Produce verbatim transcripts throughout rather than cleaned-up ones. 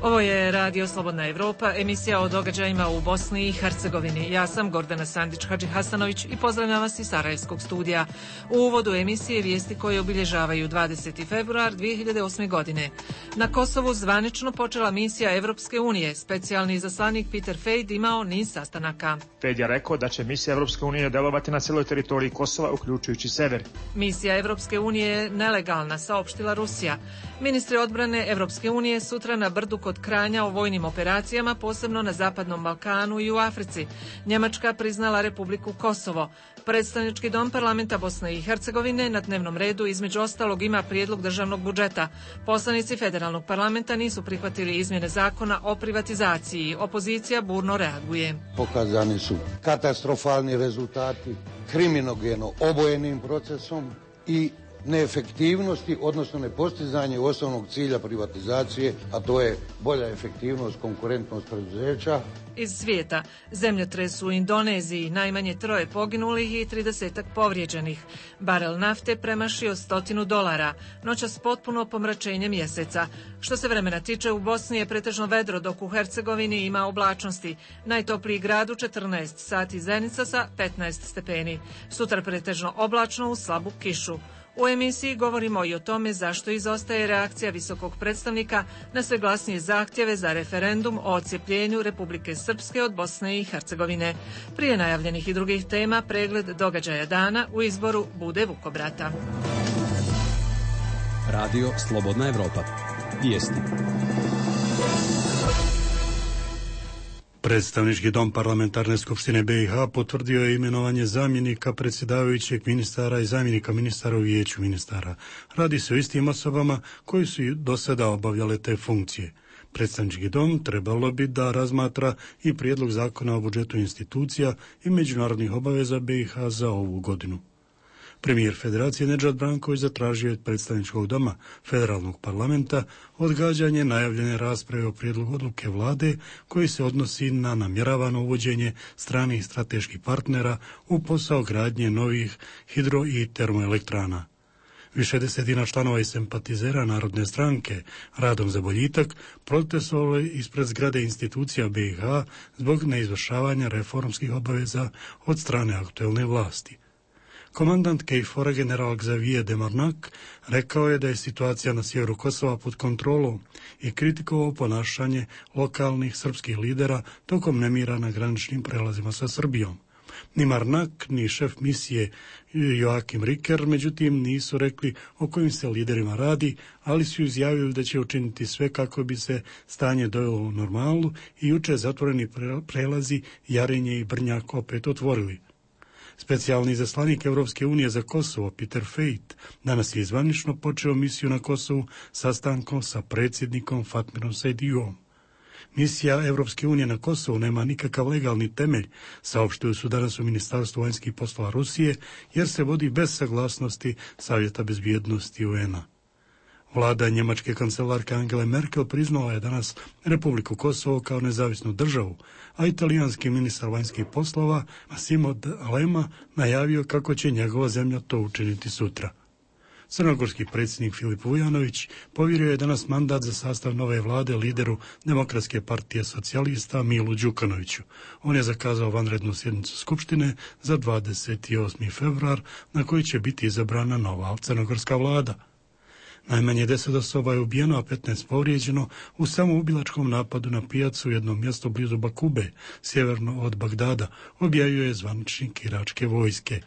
Ovo je Radio Slobodna Evropa, emisija o događajima u Bosni i Hercegovini. Ja sam Gordana Sandić-Hadži-Hasanović i pozdravljam vas iz Sarajevskog studija. U uvodu emisije vijesti koje obilježavaju dvadeseti februar dvije hiljade osme. godine. Na Kosovu zvanično počela misija Evropske unije. Specijalni izaslanik Peter Fejd imao niz sastanaka. Fejd je rekao da će misija Evropske unije delovati na cijeloj teritoriji Kosova, uključujući sever. Misija Evropske unije je nelegalna, saopštila Rusija. Ministri odbrane Evropske unije sutra na Brdu kod Kranja o vojnim operacijama, posebno na Zapadnom Balkanu i u Africi. Njemačka priznala Republiku Kosovo. Predstavnički dom parlamenta Bosne i Hercegovine na dnevnom redu između ostalog ima prijedlog državnog budžeta. Poslanici federalnog parlamenta nisu prihvatili izmjene zakona o privatizaciji. Opozicija burno reaguje. Pokazani su katastrofalni rezultati kriminogeno obojenim procesom i neefektivnosti, odnosno nepostizanje osnovnog cilja privatizacije, a to je bolja efektivnost, konkurentnost preduzeća. Iz svijeta, zemljotres u Indoneziji, najmanje troje poginulih i tridesetak povrijeđenih. Barel nafte premašio stotinu dolara, noćas potpuno pomračenje mjeseca. Što se vremena tiče, u Bosni je pretežno vedro, dok u Hercegovini ima oblačnosti. Najtopliji grad u četrnaest sati Zenica sa petnaest stepeni. Sutra pretežno oblačno uz slabu kišu. U emisiji govorimo i o tome zašto izostaje reakcija visokog predstavnika na sve glasnije zahtjeve za referendum o odcijepljenju Republike Srpske od Bosne i Hercegovine. Prije najavljenih i drugih tema, pregled događaja dana u izboru Bude Vukobrata. Radio Slobodna Evropa. Vijesti. Predstavnički dom parlamentarne skupštine B i H potvrdio je imenovanje zamjenika predsjedavajućeg ministara i zamjenika ministara u vijeću ministara. Radi se o istim osobama koji su do sada obavljale te funkcije. Predstavnički dom trebalo bi da razmatra i prijedlog zakona o budžetu institucija i međunarodnih obaveza B i H za ovu godinu. Premijer Federacije Nedžad Branković zatražio od predstavničkog doma federalnog parlamenta odgađanje najavljene rasprave o prijedlogu odluke vlade koji se odnosi na namjeravano uvođenje stranih strateških partnera u posao gradnje novih hidro i termoelektrana. Više desetina članova i simpatizera Narodne stranke Radom za boljitak protestovalo je ispred zgrade institucija B i H zbog neizvršavanja reformskih obaveza od strane aktuelne vlasti. Komandant Kejfora general Xavier Demarnak rekao je da je situacija na sjeveru Kosova pod kontrolom i kritikovao ponašanje lokalnih srpskih lidera tokom nemira na graničnim prelazima sa Srbijom. Ni Marnak, ni šef misije Joakim Riker, međutim, nisu rekli o kojim se liderima radi, ali su izjavili da će učiniti sve kako bi se stanje dovelo u normalu i juče zatvoreni prelazi Jarenje i Brnjak opet otvorili. Specijalni izaslanik Evropske unije za Kosovo, Peter Fejd, danas je zvanično počeo misiju na Kosovu sastankom sa predsjednikom Fatmirom Sejdiom. Misija Evropske unije na Kosovu nema nikakav legalni temelj, saopštili su danas u Ministarstvu vanjskih poslova Rusije, jer se vodi bez saglasnosti Savjeta bezbjednosti U N-a. Vlada njemačke kancelarke Angele Merkel priznala je danas Republiku Kosovo kao nezavisnu državu, a italijanski ministar vanjskih poslova Massimo D'Alema najavio kako će njegova zemlja to učiniti sutra. Crnogorski predsjednik Filip Vujanović povjerio je danas mandat za sastav nove vlade lideru Demokratske partije socijalista Milu Đukanoviću. On je zakazao vanrednu sjednicu Skupštine za dvadeset osmi februar na kojoj će biti izabrana nova crnogorska vlada. Najmanje deset osoba je ubijeno, a petnaest povrijeđeno u samoubilačkom napadu na pijacu u jednom mjestu blizu Bakube, sjeverno od Bagdada, objavljuje zvaničnik iračke vojske.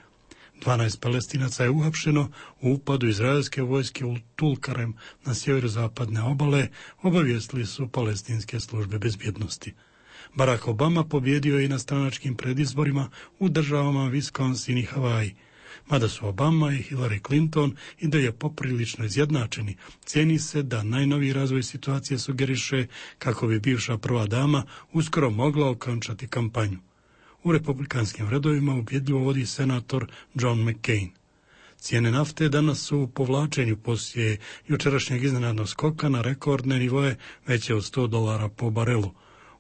dvanaest Palestinaca je uhapšeno u upadu izraelske vojske u Tulkarem na sjeveru zapadne obale, obavijestili su palestinske službe bezbjednosti. Barack Obama pobjedio je i na stranačkim predizborima u državama Wisconsin i Havaji. Mada su Obama i Hillary Clinton i da je poprilično izjednačeni, cijeni se da najnoviji razvoj situacije sugeriše kako bi bivša prva dama uskoro mogla okončati kampanju. U republikanskim redovima ubjedljivo vodi senator John McCain. Cijene nafte danas su u povlačenju poslije jučerašnjeg iznenadnog skoka na rekordne nivoe veće od sto dolara po barelu.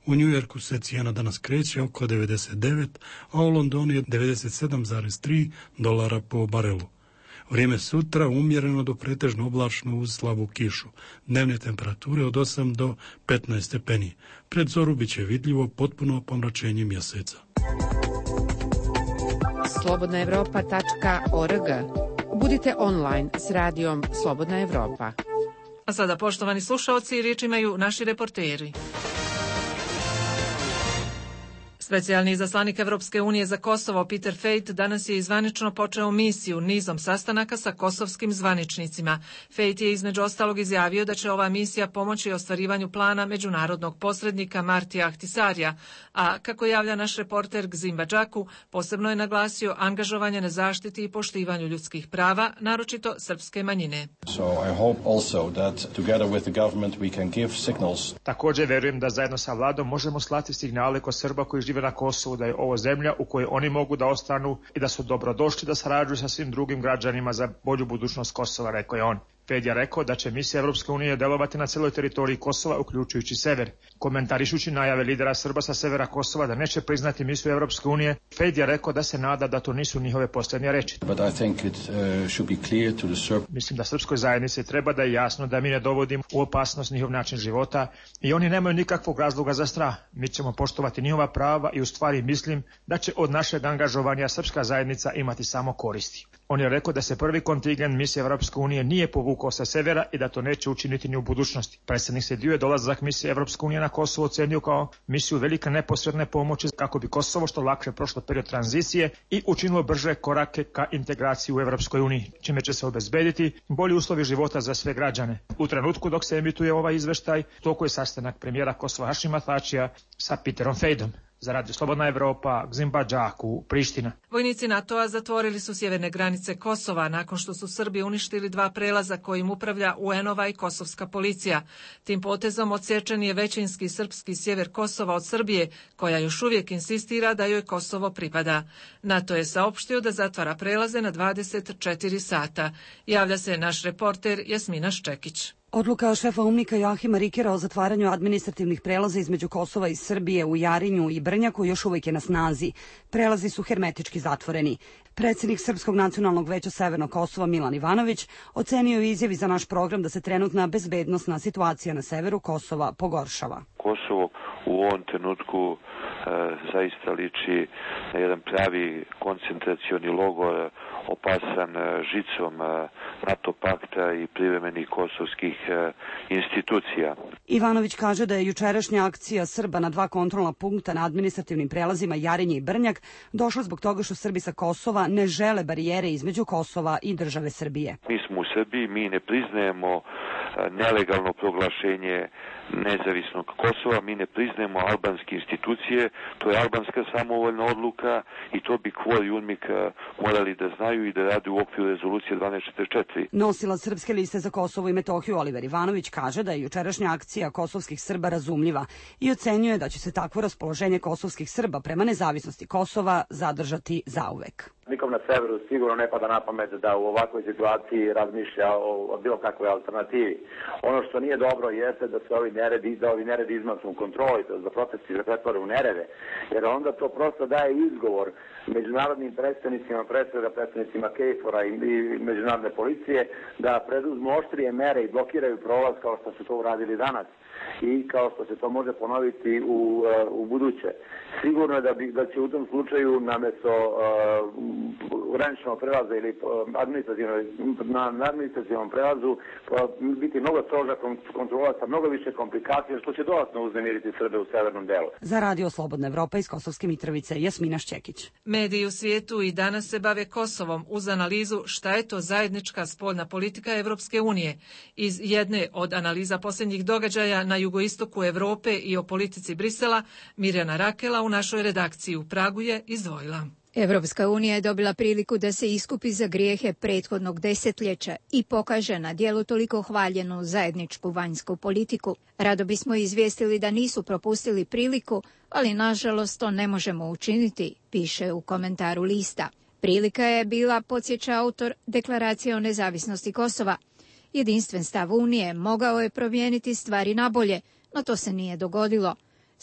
U Njujorku se cijena danas kreće oko devedeset devet, a u Londonu je devedeset sedam zarez tri dolara po barelu. Vrijeme sutra umjereno do pretežno oblačno uz slabu kišu. Dnevne temperature od osam do petnaest stepeni. Pred zoru bit će vidljivo potpuno pomračenje mjeseca. slobodna evropa tačka org. Budite online s radijom Slobodna Evropa. A sada, poštovani slušaoci, riječ imaju naši reporteri. Specijalni izaslanik Evropske unije za Kosovo Peter Fejt danas je zvanično počeo misiju nizom sastanaka sa kosovskim zvaničnicima. Fejt je između ostalog izjavio da će ova misija pomoći ostvarivanju plana međunarodnog posrednika Martija Ahtisarija, a kako javlja naš reporter Gzim Badžaku, posebno je naglasio angažovanje na zaštiti i poštivanju ljudskih prava, naročito srpske manjine. So I hope also that together with the government we can give signals. Također verujem da zajedno sa vladom možemo slati signale kod Srba koji žive na Kosovu da je ovo zemlja u kojoj oni mogu da ostanu i da su dobrodošli da sarađuju sa svim drugim građanima za bolju budućnost Kosova, rekao je on. Fejt je rekao da će misija Evropske unije delovati na celoj teritoriji Kosova, uključujući sever. Komentarišući najave lidera Srba sa severa Kosova da neće priznati misiju Evropske unije, Fejt je rekao da se nada da to nisu njihove posljednje reči. But I think it uh, should be clear to the Serb... Mislim da srpskoj zajednici treba da je jasno da mi ne dovodimo u opasnost njihov način života i oni nemaju nikakvog razloga za strah. Mi ćemo poštovati njihova prava i u stvari mislim da će od našeg angažovanja srpska zajednica imati samo koristi. On je rekao da se prvi kontingent misije Evropske unije nije povukao sa severa i da to neće učiniti ni u budućnosti. Predsjednik Sediu je dolazak misije Evropske unije na Kosovo ocenio kao misiju velike neposredne pomoći kako bi Kosovo što lakše prošlo period tranzicije i učinilo brže korake ka integraciji u Evropskoj uniji, čime će se obezbediti bolji uslovi života za sve građane. U trenutku dok se emituje ovaj izveštaj, toliko je sastanak premijera Kosova Hašima Tačija sa Peterom Fejdom. Za Radio Slobodna Evropa, Gzim Badžaku, Priština. Vojnici NATO-a zatvorili su sjeverne granice Kosova nakon što su Srbi uništili dva prelaza kojim upravlja U N-ova i kosovska policija. Tim potezom odsječen je većinski srpski sjever Kosova od Srbije, koja još uvijek insistira da joj Kosovo pripada. NATO je saopštio da zatvara prelaze na dvadeset četiri sata. Javlja se naš reporter Jasmina Ščekić. Odluka šefa UNMIK-a Joahima Rikera o zatvaranju administrativnih prelaza između Kosova i Srbije u Jarinju i Brnjaku još uvijek je na snazi. Prelazi su hermetički zatvoreni. Predsjednik Srpskog nacionalnog veća Severnog Kosova Milan Ivanović ocenio je izjavi za naš program da se trenutna bezbednosna situacija na severu Kosova pogoršava. Kosovo u ovom trenutku e, zaista liči na jedan pravi koncentracioni logor opasan žicom NATO pakta i privremenih kosovskih institucija. Ivanović kaže da je jučerašnja akcija Srba na dva kontrolna punkta na administrativnim prelazima Jarinje i Brnjak došla zbog toga što Srbi sa Kosova ne žele barijere između Kosova i države Srbije. Mi smo u Srbiji, mi ne priznajemo nelegalno proglašenje nezavisnog Kosova, mi ne priznajemo albanske institucije, to je albanska samovoljna odluka i to bi Kvor i UNMIK morali da znaju i da rade u okviru rezolucije dvanaest četrdeset četiri. Nosilac Srpske liste za Kosovo i Metohiju Oliver Ivanović kaže da je jučerašnja akcija kosovskih Srba razumljiva i ocenjuje da će se takvo raspoloženje kosovskih Srba prema nezavisnosti Kosova zadržati zauvek. Nikom na severu sigurno ne pada na pamet da u ovakvoj situaciji razmišlja o, o bilo kakvoj alternativi. Ono što nije dobro jeste da se ovi neredi, da ovi neredi izmaknu kontroli, da protesti se pretvore u nerede, jer onda to prosto daje izgovor međunarodnim predstavnicima, predstavnika predstavnicima KFOR-a i, i međunarodne policije da preduzmu oštrije mere i blokiraju prolaz kao što su to uradili danas i kao što se to može ponoviti u, u buduće. Sigurno je da, bi, da će u tom slučaju namjesto uh, graničnog prelaza ili na, na administrativnom prelazu biti mnogo stroža kontrola sa mnogo više komplikacija, što će dodatno uznemiriti Srbe u severnom delu. Za Radio Slobodna Evropa iz Kosovske Mitrovice, Jasmina Ščekić. Mediji u svijetu i danas se bave Kosovom uz analizu šta je to zajednička spoljna politika Evropske unije. Iz jedne od analiza posljednjih događaja na jugoistoku Evrope i o politici Brisela, Mirjana Rakela u našoj redakciji u Pragu je izdvojila. Evropska unija je dobila priliku da se iskupi za grijehe prethodnog desetljeća i pokaže na djelu toliko hvaljenu zajedničku vanjsku politiku. Rado bismo izvijestili da nisu propustili priliku, ali nažalost to ne možemo učiniti, piše u komentaru lista. Prilika je bila, podsjeća autor, deklaracije o nezavisnosti Kosova. Jedinstven stav Unije mogao je promijeniti stvari na bolje, no to se nije dogodilo.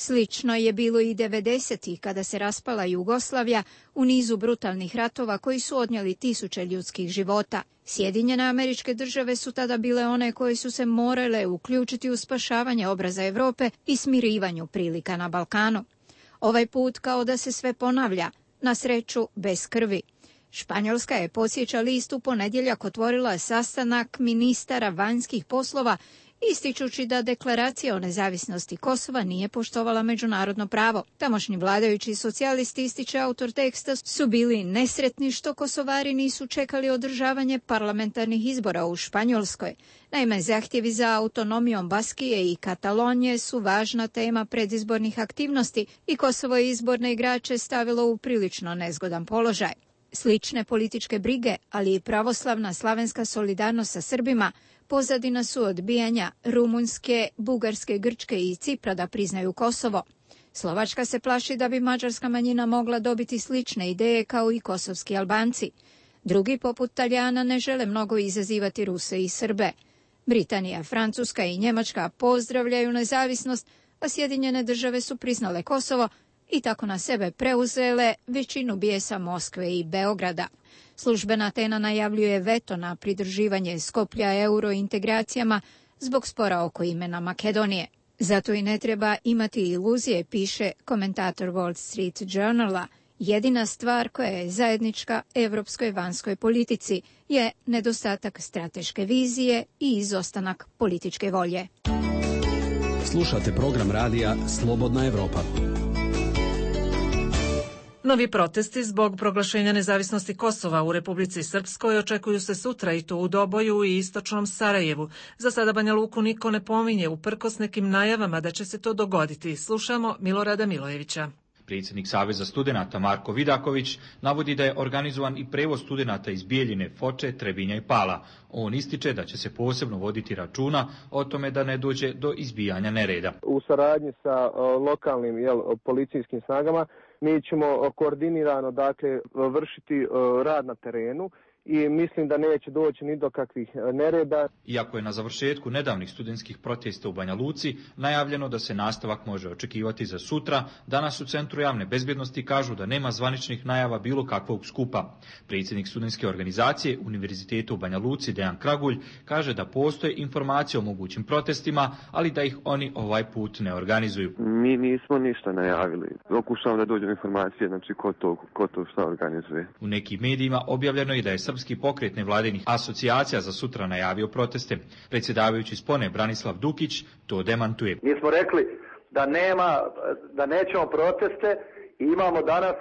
Slično je bilo i devedesetih kada se raspala Jugoslavija u nizu brutalnih ratova koji su odnijeli tisuće ljudskih života. Sjedinjene Američke Države su tada bile one koje su se morale uključiti u spašavanje obraza Europe i smirivanju prilika na Balkanu. Ovaj put kao da se sve ponavlja, na sreću bez krvi. Španjolska je, podsjeća list, u ponedjeljak otvorila sastanak ministara vanjskih poslova, ističući da deklaracija o nezavisnosti Kosova nije poštovala međunarodno pravo. Tamošnji vladajući socijalisti, ističe autor teksta, su bili nesretni što Kosovari nisu čekali održavanje parlamentarnih izbora u Španjolskoj. Naime, zahtjevi za autonomijom Baskije i Katalonije su važna tema predizbornih aktivnosti i Kosovo je izborne igrače stavilo u prilično nezgodan položaj. Slične političke brige, ali i pravoslavna slavenska solidarnost sa Srbima pozadina su odbijanja Rumunjske, Bugarske, Grčke i Cipra da priznaju Kosovo. Slovačka se plaši da bi mađarska manjina mogla dobiti slične ideje kao i kosovski Albanci. Drugi, poput Talijana, ne žele mnogo izazivati Ruse i Srbe. Britanija, Francuska i Njemačka pozdravljaju nezavisnost, a Sjedinjene Države su priznale Kosovo i tako na sebe preuzele većinu bijesa Moskve i Beograda. Službena Atena najavljuje veto na pridruživanje Skoplja eurointegracijama zbog spora oko imena Makedonije. Zato i ne treba imati iluzije, piše komentator Wall Street Journala. Jedina stvar koja je zajednička evropskoj vanjskoj politici je nedostatak strateške vizije i izostanak političke volje. Slušate program radija Slobodna Evropa. Novi protesti zbog proglašenja nezavisnosti Kosova u Republici Srpskoj očekuju se sutra i to u Doboju i istočnom Sarajevu. Za sada Banja Luku niko ne pominje, uprkos nekim najavama da će se to dogoditi. Slušamo Milorada Milojevića. Predsjednik Saveza studenata Marko Vidaković navodi da je organizovan i prevoz studenata iz Bijeljine, Foče, Trebinja i Pala. On ističe da će se posebno voditi računa o tome da ne dođe do izbijanja nereda. U saradnji sa lokalnim jel, policijskim snagama mi ćemo koordinirano dakle, vršiti rad na terenu i mislim da neće doći ni do kakvih nereda. Iako je na završetku nedavnih studentskih protesta u Banja Luci najavljeno da se nastavak može očekivati za sutra, danas u Centru javne bezbjednosti kažu da nema zvaničnih najava bilo kakvog skupa. Predsjednik studentske organizacije Univerziteta u Banja Luci Dejan Kragulj kaže da postoje informacije o mogućim protestima, ali da ih oni ovaj put ne organizuju. Mi nismo ništa najavili. Pokušavamo da dođu informacije, znači ko to, ko to šta organizuje. U nekim medijima objavljeno je da je Srpski pokret nevladinih asocijacija za sutra najavio proteste. Predsjedavajući Spone Branislav Dukić to demantuje. Mi smo rekli da nema, da nećemo proteste i imamo danas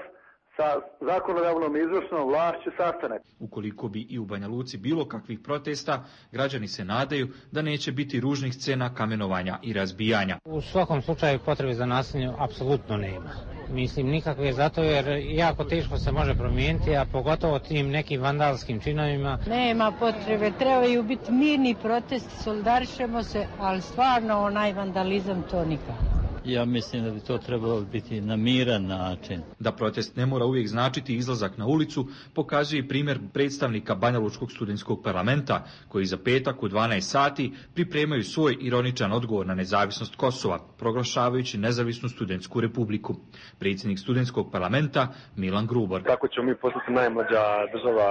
sa zakonodavnom izvršnom vlašću sastanak. Ukoliko bi i u Banja Luci bilo kakvih protesta, građani se nadaju da neće biti ružnih scena kamenovanja i razbijanja. U svakom slučaju potrebe za nasiljem apsolutno nema. Mislim nikakve zato jer jako teško se može promijeniti, a pogotovo tim nekim vandalskim činovima. Nema potrebe, trebaju biti mirni protesti, solidarišemo se, ali stvarno onaj vandalizam to nikako. Ja mislim da bi to trebalo biti na miran način. Da protest ne mora uvijek značiti izlazak na ulicu, pokazuje i primjer predstavnika Banjalučkog studentskog parlamenta, koji za petak u dvanaest sati pripremaju svoj ironičan odgovor na nezavisnost Kosova, proglašavajući nezavisnu studentsku republiku. Predsjednik studentskog parlamenta Milan Grubor. Kako ćemo mi postati najmlađa država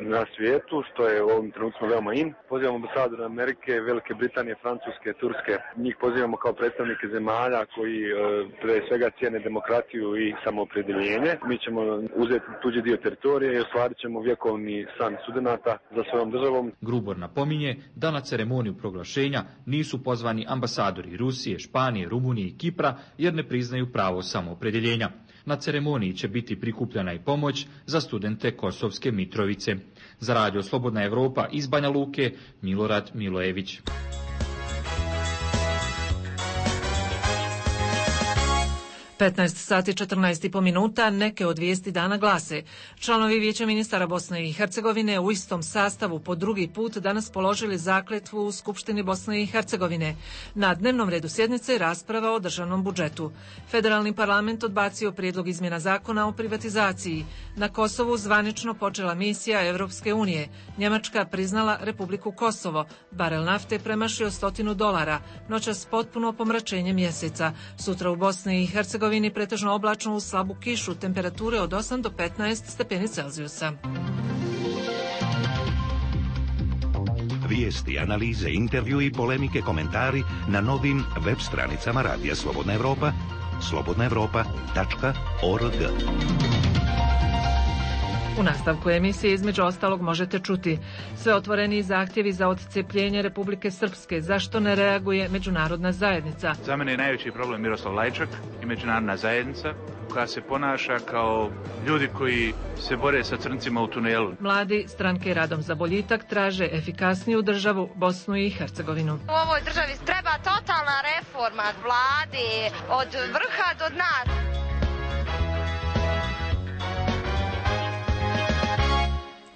na svijetu, što je u ovom trenutku veoma in. Pozivamo ambasadore Amerike, Velike Britanije, Francuske, Turske. Njih pozivamo kao predstavnike zemalja koji pre svega cijene demokratiju i samoopredjeljenje. Mi ćemo uzeti tuđi dio teritorije i ostvarit ćemo vjekovni san studenata za svojom državom. Grubor napominje da na ceremoniju proglašenja nisu pozvani ambasadori Rusije, Španije, Rumunije i Kipra jer ne priznaju pravo samoopredjeljenja. Na ceremoniji će biti prikupljena i pomoć za studente Kosovske Mitrovice. Za Radio Slobodna Evropa iz Banja Luke, Milorad Milojević. petnaest sati četrnaest i po minuta, neke od vijesti dana glase. Članovi Vijeća ministara Bosne i Hercegovine u istom sastavu po drugi put danas položili zakletvu u Skupštini Bosne i Hercegovine. Na dnevnom redu sjednice je rasprava o državnom budžetu. Federalni parlament odbacio prijedlog izmjena zakona o privatizaciji. Na Kosovu zvanično počela misija Evropske unije. Njemačka priznala Republiku Kosovo. Barel nafte premašio stotinu dolara. Noćas potpuno pomračenje mjeseca. Sutra u Bosni i Hercegovini pretežno oblačno uz slabu kišu, temperature od osam do petnaest stepeni Celzijusa. Vijesti, analize, intervju i polemike, komentari na novim web stranicama Radija Slobodna Evropa, slobodna evropa tačka org. U nastavku emisije između ostalog možete čuti sve otvoreni zahtjevi za odcepljenje Republike Srpske. Zašto ne reaguje međunarodna zajednica? Za mene je najveći problem Miroslav Lajčak i međunarodna zajednica koja se ponaša kao ljudi koji se bore sa crncima u tunelu. Mladi stranke Radom za boljitak traže efikasniju državu Bosnu i Hercegovinu. U ovoj državi treba totalna reforma vlade od vrha do dna.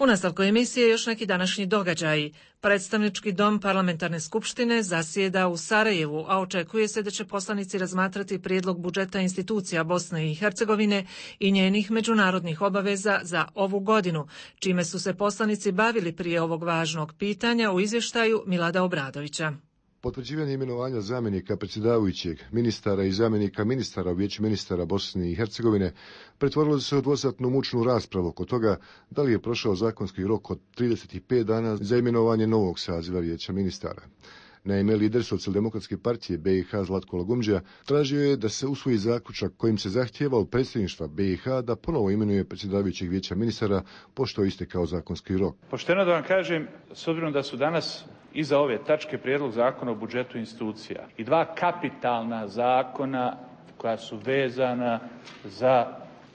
U nastavku emisije još neki današnji događaji. Predstavnički dom parlamentarne skupštine zasjeda u Sarajevu, a očekuje se da će poslanici razmatrati prijedlog budžeta institucija Bosne i Hercegovine i njenih međunarodnih obaveza za ovu godinu, čime su se poslanici bavili prije ovog važnog pitanja u izvještaju Milada Obradovića. Potvrđivanje imenovanja zamjenika predsjedavajućeg, ministara i zamjenika ministara u Vijeću ministara Bosne i Hercegovine pretvorilo se u dvosatnu mučnu raspravu oko toga da li je prošao zakonski rok od trideset pet dana za imenovanje novog saziva Vijeća ministara. Naime, lider Socijaldemokratske partije B i H Zlatko Lagumđija tražio je da se usvoji zaključak kojim se zahtijeva od predsjedništva B i H da ponovo imenuje predsjedavajućeg Vijeća ministara pošto je istekao zakonski rok. Pošteno da vam kažem, s obzirom da su danas iza ove tačke prijedlog zakona o budžetu institucija i dva kapitalna zakona koja su vezana za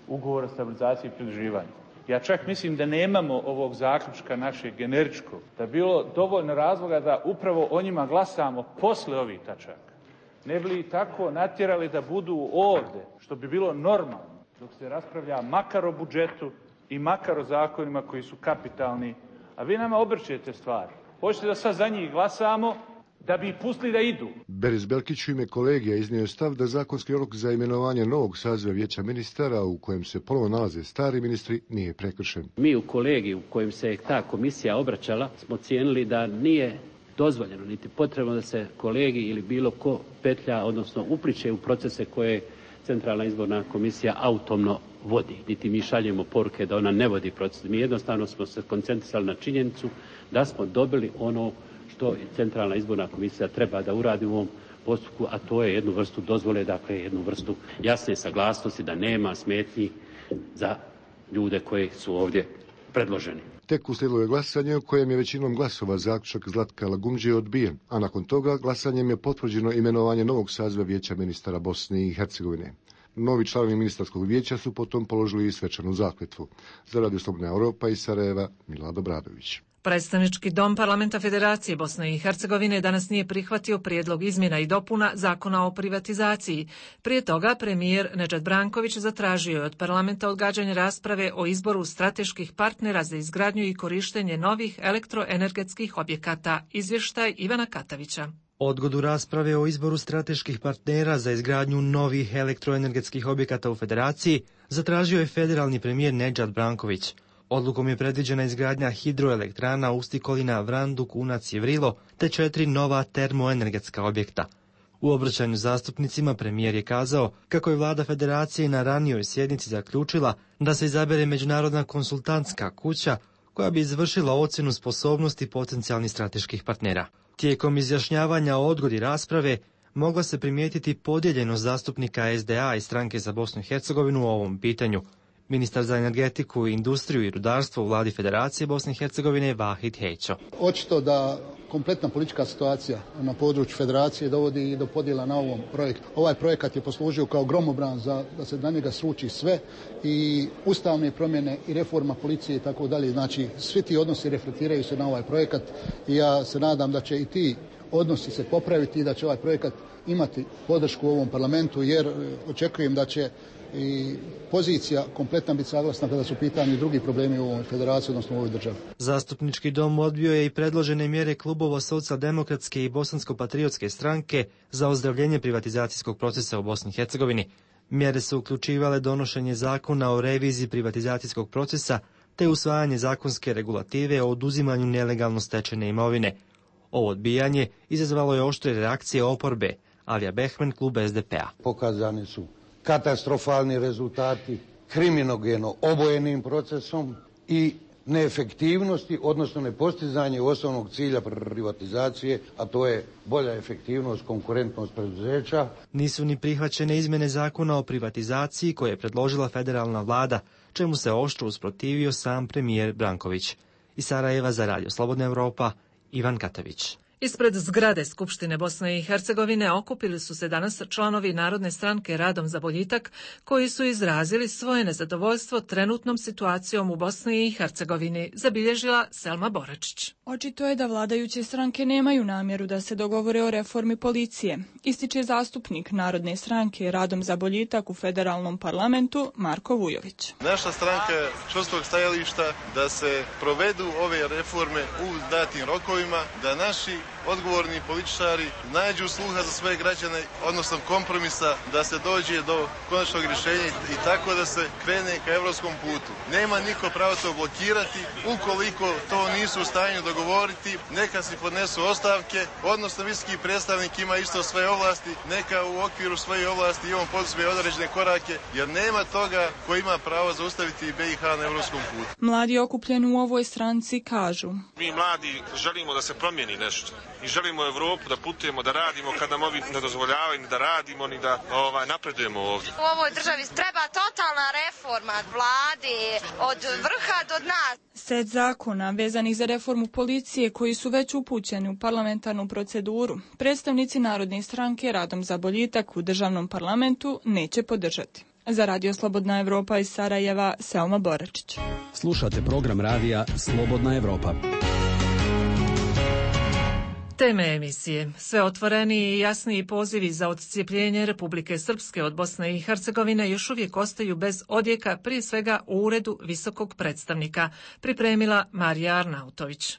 ugovor o stabilizaciji i pridruživanju. Ja čak mislim da nemamo ovog zaključka našeg generičkog, da je bilo dovoljno razloga da upravo o njima glasamo posle ovih tačaka. Ne bi li tako natjerali da budu ovdje, što bi bilo normalno, dok se raspravlja makar o budžetu i makar o zakonima koji su kapitalni, a vi nama obrćete stvari. Hoćete da sad za njih glasamo, da bi ih pustili da idu. Beris Belkić u ime kolegija iznio je stav da zakonski rok za imenovanje novog saziva Vijeća ministara u kojem se ponovo nalaze stari ministri nije prekršen. Mi u kolegiju u kojem se ta komisija obraćala smo cijenili da nije dozvoljeno niti potrebno da se kolegij ili bilo ko petlja, odnosno upliče u procese koje Centralna izborna komisija autonomno vodi. Niti mi šaljemo poruke da ona ne vodi proces. Mi jednostavno smo se koncentrisali na činjenicu da smo dobili ono što Centralna izborna komisija treba da uradi u ovom postupku, a to je jednu vrstu dozvole, dakle jednu vrstu jasne saglasnosti da nema smetnji za ljude koji su ovdje predloženi. Tek uslijedilo je glasanje u kojem je većinom glasova zaključak Zlatka Lagumđije odbijen, a nakon toga glasanjem je potvrđeno imenovanje novog saziva Vijeća ministara Bosne i Hercegovine. Novi članovi ministarskog vijeća su potom položili i svečanu zakletvu. Za Radio Slobodna Evropa iz Sarajeva, Milad Obradović. Predstavnički dom Parlamenta Federacije Bosne i Hercegovine danas nije prihvatio prijedlog izmjena i dopuna zakona o privatizaciji. Prije toga premijer Nedžad Branković zatražio je od parlamenta odgađanje rasprave o izboru strateških partnera za izgradnju i korištenje novih elektroenergetskih objekata. Izvještaj Ivana Katavića. Odgodu rasprave o izboru strateških partnera za izgradnju novih elektroenergetskih objekata u Federaciji zatražio je federalni premijer Nedžad Branković. Odlukom je predviđena izgradnja hidroelektrana Ustikolina, Vranduk, Unac i Vrilo, te četiri nova termoenergetska objekta. U obraćanju zastupnicima premijer je kazao kako je vlada Federacije na ranijoj sjednici zaključila da se izabere međunarodna konsultantska kuća koja bi izvršila ocjenu sposobnosti potencijalnih strateških partnera. Tijekom izjašnjavanja o odgodi rasprave mogla se primijetiti podijeljenost zastupnika S D A i Stranke za Bosnu i Hercegovinu u ovom pitanju. Ministar za energetiku, industriju i rudarstvo u vladi Federacije Bosne i Hercegovine Vahid Hećo. Očito da kompletna politička situacija na području Federacije dovodi i do podjela na ovom projektu. Ovaj projekat je poslužio kao gromobran za da se na njega sruči sve i ustavne promjene i reforma policije i tako dalje. Znači, svi ti odnosi reflektiraju se na ovaj projekat i ja se nadam da će i ti odnosi se popraviti i da će ovaj projekat imati podršku u ovom parlamentu, jer očekujem da će i pozicija kompletna biti saglasna kada su u pitanju drugi problemi u ovoj federaciji, odnosno u ovoj državi. Zastupnički dom odbio je i predložene mjere klubova Socijaldemokratske i Bosansko-patriotske stranke za ozdravljenje privatizacijskog procesa u Bosni i Hercegovini. Mjere su uključivale donošenje zakona o reviziji privatizacijskog procesa te usvajanje zakonske regulative o oduzimanju nelegalno stečene imovine. Ovo odbijanje izazvalo je oštre reakcije oporbe. Alija Behmen, klub es de pe-a. Pokazani su katastrofalni rezultati kriminogeno obojenim procesom i neefektivnosti, odnosno nepostizanje osnovnog cilja privatizacije, a to je bolja efektivnost, konkurentnost preduzeća. Nisu ni prihvaćene izmjene zakona o privatizaciji koje je predložila federalna vlada, čemu se oštro usprotivio sam premijer Branković. Iz Sarajeva za Radio Slobodna Evropa, Ivan Katavić. Ispred zgrade Skupštine Bosne i Hercegovine okupili su se danas članovi Narodne stranke Radom za boljitak, koji su izrazili svoje nezadovoljstvo trenutnom situacijom u Bosni i Hercegovini, zabilježila Selma Boračić. Očito je da vladajuće stranke nemaju namjeru da se dogovore o reformi policije, ističe zastupnik Narodne stranke Radom za boljitak u federalnom parlamentu Marko Vujović. Naša stranka je čvrstog stajališta da se provedu ove reforme u datim rokovima, da naši odgovorni političari nađu sluha za svoje građane, odnosno kompromisa, da se dođe do konačnog rješenja i tako da se krene ka evropskom putu. Nema niko pravo to blokirati, ukoliko to nisu u stanju dogovoriti, neka si podnesu ostavke, odnosno visoki predstavnik ima isto svoje ovlasti, neka u okviru svoje ovlasti i on poduzme određene korake, jer nema toga ko ima pravo zaustaviti be i ha na evropskom putu. Mladi okupljeni u ovoj stranci kažu: Mi mladi želimo da se promijeni nešto i želimo Evropu da putujemo, da radimo kad nam ovi ne dozvoljavaju ni da radimo, ni da ovaj, napredujemo ovdje. U ovoj državi treba totalna reforma od vlade, od vrha do dna. Set zakona vezanih za reformu policije koji su već upućeni u parlamentarnu proceduru, predstavnici Narodne stranke Radom za boljitak u državnom parlamentu neće podržati. Za Radio Slobodna Evropa iz Sarajeva, Selma Boračić. Slušate program radija Slobodna Evropa. Teme emisije. Sve otvoreniji i jasniji pozivi za odcijepljenje Republike Srpske od Bosne i Hercegovine još uvijek ostaju bez odjeka, prije svega u Uredu visokog predstavnika, pripremila Marija Arnautović.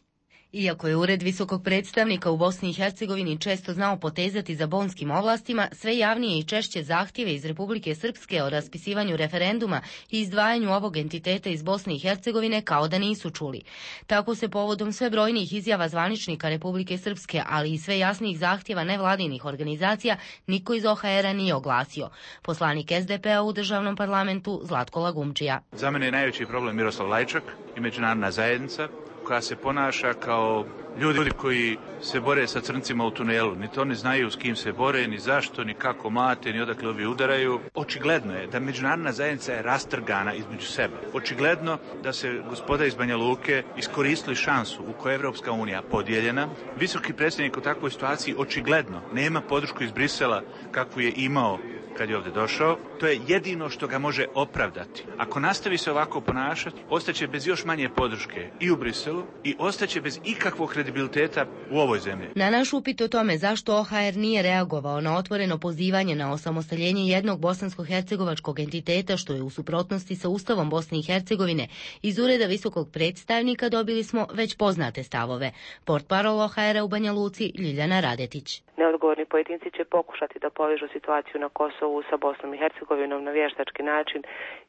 Iako je Ured visokog predstavnika u Bosni i Hercegovini često znao potezati za bonskim ovlastima, sve javnije i češće zahtjeve iz Republike Srpske o raspisivanju referenduma i izdvajanju ovog entiteta iz Bosne i Hercegovine kao da nisu čuli. Tako se povodom sve brojnijih izjava zvaničnika Republike Srpske, ali i sve jasnijih zahtjeva nevladinih organizacija, niko iz o ha era nije oglasio. Poslanik es de pe-a u državnom parlamentu Zlatko Lagumdžija. Za mene je najveći problem Miroslav Lajčak i međunarodna zajednica, koja se ponaša kao ljudi koji se bore sa crncima u tunelu. Ni to ne znaju s kim se bore, ni zašto, ni kako mlate, ni odakle ovi udaraju. Očigledno je da međunarodna zajednica je rastrgana između sebe. Očigledno da se gospoda iz Banja Luke iskoristili šansu u kojoj je Evropska unija podijeljena. Visoki predstavnik u takvoj situaciji očigledno nema podršku iz Brisela kakvu je imao kad je ovdje došao. To je jedino što ga može opravdati. Ako nastavi se ovako ponašati, ostaće bez još manje podrške i u Briselu i ostaće bez ikakvog kredibiliteta u ovoj zemlji. Na naš upit o tome zašto o ha er nije reagovao na otvoreno pozivanje na osamostaljenje jednog bosansko-hercegovačkog entiteta što je u suprotnosti sa Ustavom Bosne i Hercegovine, iz Ureda visokog predstavnika dobili smo već poznate stavove. Portparol o ha era u Banja Luci Ljiljana Radetić. Neodgovorni pojedinci će pokušati da povežu situaciju na Kosovu sa Bosnom i Hercegovinom na vještački način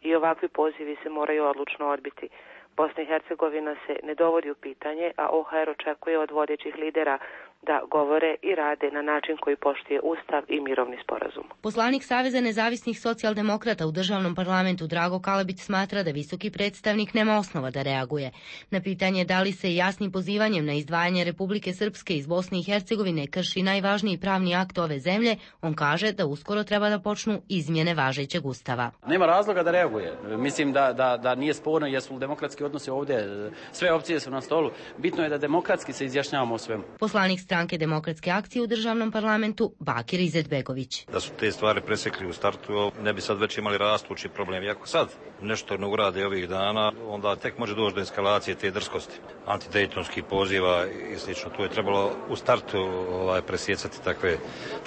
i ovakvi pozivi se moraju odlučno odbiti. Bosna i Hercegovina se ne dovodi u pitanje, a o ha er očekuje od vodećih lidera da govore i rade na način koji poštuje Ustav i mirovni sporazum. Poslanik Saveza nezavisnih socijaldemokrata u državnom parlamentu Drago Kalabić smatra da visoki predstavnik nema osnova da reaguje. Na pitanje da li se jasnim pozivanjem na izdvajanje Republike Srpske iz Bosne i Hercegovine krši najvažniji pravni akt ove zemlje, on kaže da uskoro treba da počnu izmjene važećeg Ustava. Nema razloga da reaguje. Mislim da, da, da nije sporno jesu demokratski odnosi ovdje. Sve opcije su na stolu. Bitno je da demokratski se izjašnjavamo o svemu. Poslanik stranke Demokratske akcije u državnom parlamentu Bakir Izetbegović. Da su te stvari presekli u startu, ne bi sad već imali rastući problem. Iako sad nešto ne urade ovih dana, onda tek može doći do eskalacije te drskosti. Antidejtonskih poziva i slično. Tu je trebalo u startu ovaj, presjecati takve,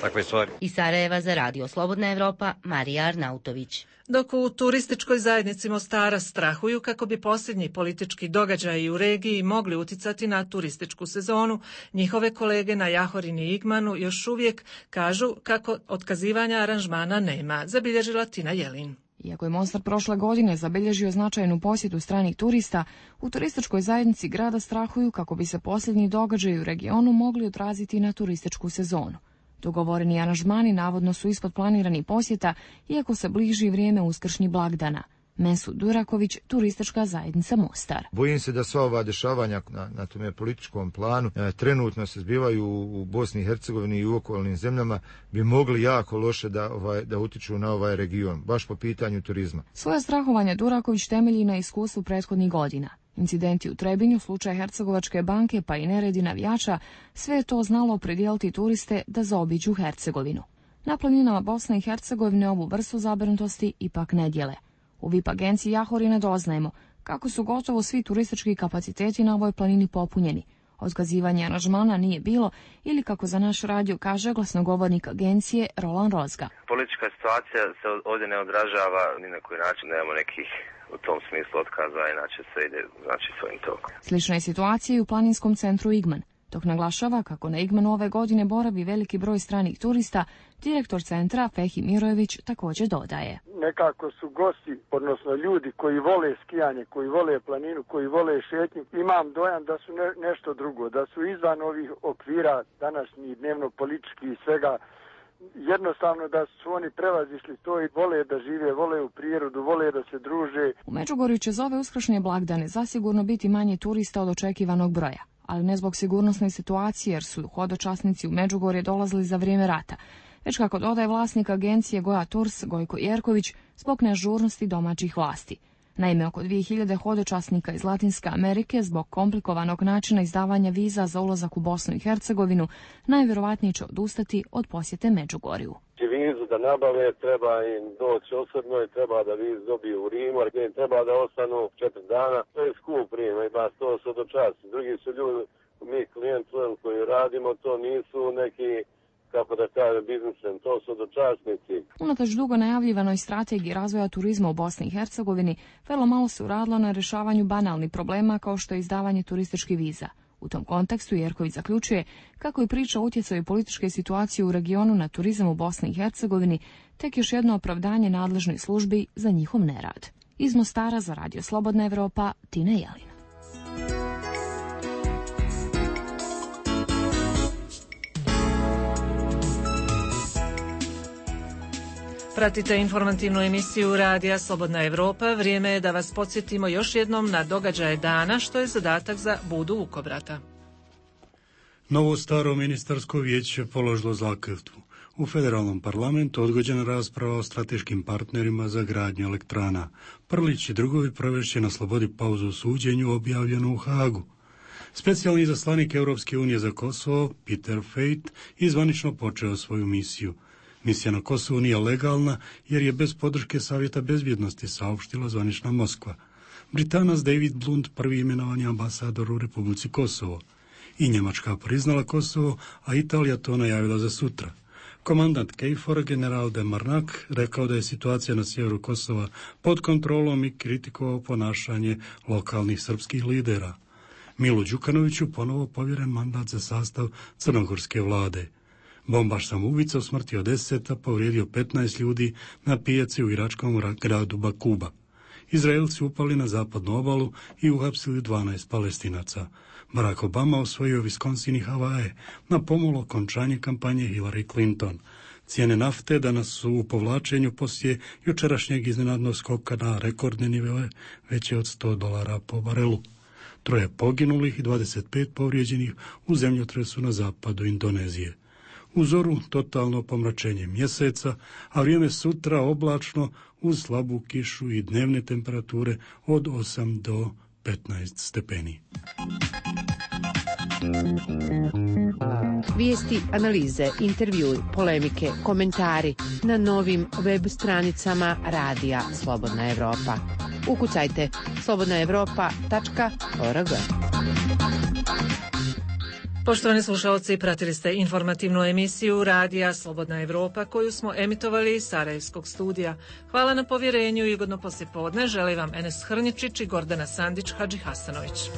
takve stvari. Iz Sarajeva za Radio Slobodna Evropa, Marija Arnautović. Dok u turističkoj zajednici Mostara strahuju kako bi posljednji politički događaji u regiji mogli uticati na turističku sezonu, njihove kolege na Jahorini i Igmanu još uvijek kažu kako otkazivanja aranžmana nema, zabilježila Tina Jelin. Iako je Mostar prošle godine zabilježio značajnu posjetu stranih turista, u turističkoj zajednici grada strahuju kako bi se posljednji događaji u regionu mogli odraziti na turističku sezonu. Dogovoreni aranžmani navodno su ispod planiranih posjeta, iako se bliži vrijeme uskršnjih blagdana. Mesud Duraković, turistička zajednica Mostar. Bojim se da sva ova dešavanja na, na tome političkom planu e, trenutno se zbivaju u, u Bosni i Hercegovini i u okolnim zemljama, bi mogli jako loše da, ovaj, da utiču na ovaj region, baš po pitanju turizma. Svoje strahovanje Duraković temelji na iskustvu prethodnih godina. Incidenti u Trebinju, slučaj Hercegovačke banke pa i neredi navijača, sve je to znalo opredijeliti turiste da zaobiđu Hercegovinu. Na planinama Bosne i Hercegovine ovu vrstu zabrinutosti ipak ne dijele. U V I P agenciji Jahorina doznajemo kako su gotovo svi turistički kapaciteti na ovoj planini popunjeni. Otkazivanje aranžmana nije bilo ili, kako za naš radio kaže glasnogovornik agencije Roland Rozga. Politička situacija se ovdje ne odražava ni na koji način, nemamo nekih u tom smislu otkaza, inače se ide znači svojim tokom. Slična je situacija i u planinskom centru Igman. Dok naglašava kako na Igmanu ove godine boravi veliki broj stranih turista, direktor centra Fehi Mirojević također dodaje. Nekako su gosti, odnosno ljudi koji vole skijanje, koji vole planinu, koji vole šetnju. Imam dojam da su ne, nešto drugo, da su izvan ovih okvira današnjih dnevno političkih i svega. Jednostavno da su oni prevazišli to i vole da žive, vole u prirodu, vole da se druže. U Međugorju će za ove uskršnje blagdane zasigurno biti manje turista od očekivanog broja, ali ne zbog sigurnosne situacije jer su hodočasnici u Međugorje dolazili za vrijeme rata, već kako dodaje vlasnik agencije Goja Tours Gojko Jerković zbog neažurnosti domaćih vlasti. Naime, oko dvije hiljade hodočasnika iz Latinske Amerike zbog komplikovanog načina izdavanja viza za ulazak u Bosnu i Hercegovinu najvjerovatnije će odustati od posjete Međugorju. Vizu da nabave, treba im doći osobno i treba da vizu dobiju u Rimu, jer im treba da ostanu četiri dana. To je skup Rim, ima sto hodočasnika. Drugi su ljudi, mi klijenti koji radimo, to nisu neki, kako da kaže, biznismen, to su hodočasnici. Unatoč dugo najavljivanoj strategiji razvoja turizma u Bosni i Hercegovini, vrlo malo se uradilo na rješavanju banalnih problema kao što je izdavanje turističkih viza. U tom kontekstu Jerković zaključuje kako je priča o utjecaju političke situacije u regionu na turizam u Bosni i Hercegovini tek još jedno opravdanje nadležnoj službi za njihov nerad. Iz Mostara za Radio Slobodna Evropa, Tina Jelin. Pratite informativnu emisiju Radija Slobodna Evropa. Vrijeme je da vas podsjetimo još jednom na događaje dana, što je zadatak za Budu Vukobrata. Novo staro ministarsko vijeće položilo zakletvu. U federalnom parlamentu odgođena rasprava o strateškim partnerima za gradnju elektrana. Prlić i drugovi provešće na slobodi pauzu u suđenju objavljeno u Hagu. Specijalni izaslanik Europske unije za Kosovo, Peter Fejt, izvanično počeo svoju misiju. Misija na Kosovu nije legalna jer je bez podrške Savjeta bezbjednosti, saopštila zvanična Moskva. Britanac David Blunt prvi imenovan je ambasador u Republici Kosovo. I Njemačka priznala Kosovo, a Italija to najavila za sutra. Komandant Kejfora, general de Marnak, rekao da je situacija na sjeveru Kosova pod kontrolom i kritikovao ponašanje lokalnih srpskih lidera. Milu Đukanoviću ponovo povjeren mandat za sastav crnogorske vlade. Bombaš samoubica usmrtio deset, a povrijedio petnaest ljudi na pijaci u iračkom gradu Bakuba. Izraelci upali na zapadnu obalu i uhapsili dvanaest Palestinaca. Barack Obama osvojio Wisconsin i Havaje na pomalo okončanje kampanje Hillary Clinton. Cijene nafte danas su u povlačenju poslije jučerašnjeg iznenadnog skoka na rekordne nivele veće od sto dolara po barelu. Troje poginulih i dvadeset pet povrijeđenih u zemljotresu na zapadu Indonezije. U zoru totalno pomračenje mjeseca, a vrijeme sutra oblačno uz slabu kišu i dnevne temperature od osam do petnaest stepeni. Vijesti, analize, intervjui, polemike, komentari na novim web stranicama Radija Slobodna Evropa. Ukucajte slobodna evropa tačka org. Poštovani slušalci, pratili ste informativnu emisiju Radija Slobodna Evropa koju smo emitovali iz Sarajevskog studija. Hvala na povjerenju i ugodno poslijepodne. Želi vam Enes Hrnječić i Gordana Sandić Hadžihasanović.